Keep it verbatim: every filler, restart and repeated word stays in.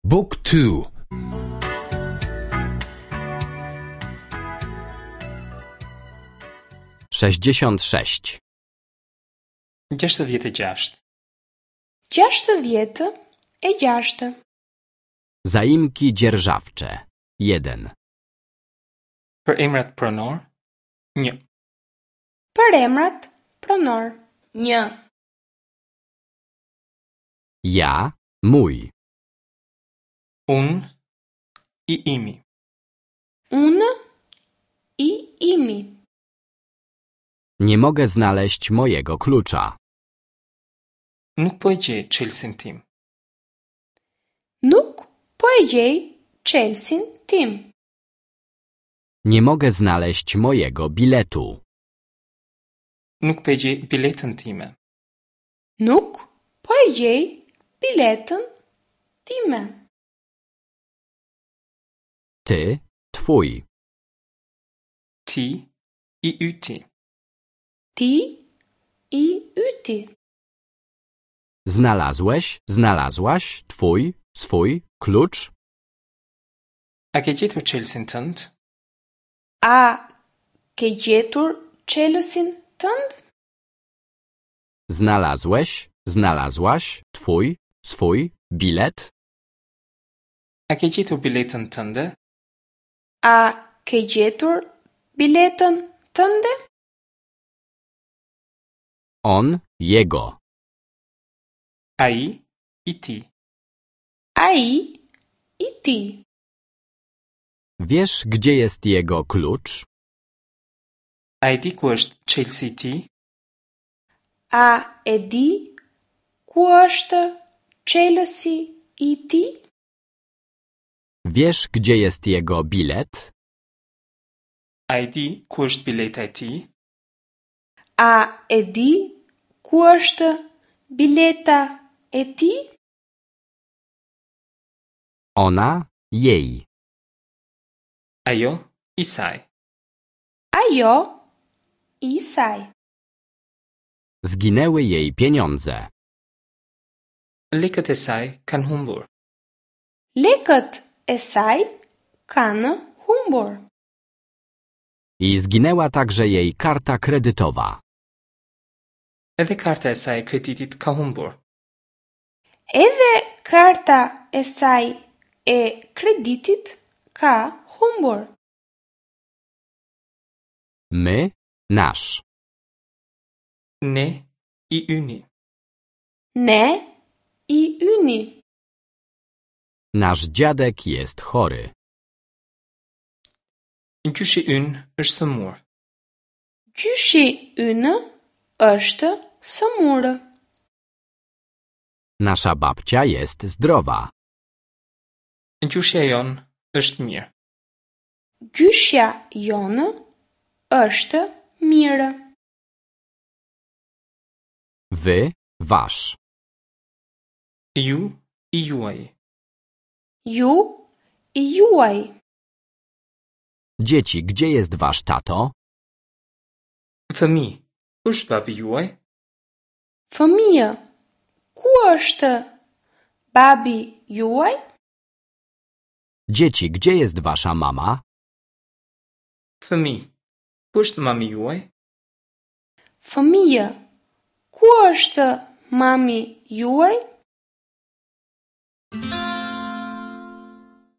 Book two. Sześćdziesiąt sześć. Gjashtëdhjetë e gjashtë. Gjashtëdhjetë e gjashtë. Zaimki dzierżawcze. Jeden. Për emrat pronor, një. Për emrat pronor, një. Ja, mój. Unë, i imi. Unë, i imi. Nie mogę znaleźć mojego klucza. Nuk po e gjej çelësin tim. Nuk po e gjej çelësin tim. Nie mogę znaleźć mojego biletu. Nuk po e gjej biletën time. Nuk po e gjej biletën time. Ty, twój. Ti, i yti. Ti, i yti. Znalazłeś, znalazłaś, twój, swój, klucz? A ke gjetur çelësin tënd? A ke gjetur çelësin tënd? Znalazłeś, znalazłaś, twój, swój, bilet? A ke gjetur biletën tënde? A ke gjetur biletën tënde? On, jego. Ai, i tij. Ai, i tij. Wiesz, gdzie jest jego klucz? A e di ku është çelësi i tij? A e di ku është çelësi i tij? Wiesz, gdzie jest jego bilet? A e di ku është bileta e tij? A e di ku është bileta e tij? Ona, jej. Ajo, i saj. Ajo, i saj. Zginęły jej pieniądze. Lekët e saj kanë humbur. Lekët e saj kanë humbur. I zginęła także jej karta kredytowa. Edhe karta e saj e kreditit ka humbur. Edhe karta e saj e kreditit ka humbur. My, nasz. Ne, i yni. Ne, i yni. Nasz dziadek jest chory. Gjyshi ynë është sëmur. Gjyshi ynë është sëmurë. Nasza babcia jest zdrowa. Gjyshja jonë është mirë. Gjyshja jonë është mirë. Wy, wasz. Ju, i juaj. Ju, i juaj. Dzieci, gdzie jest wasz tato? Fëmijë, ku është babi juaj? Fëmijë, ku është babi juaj? Dzieci, gdzie jest wasza mama? Fëmijë, ku është mami juaj? Fëmijë, ku është mami juaj?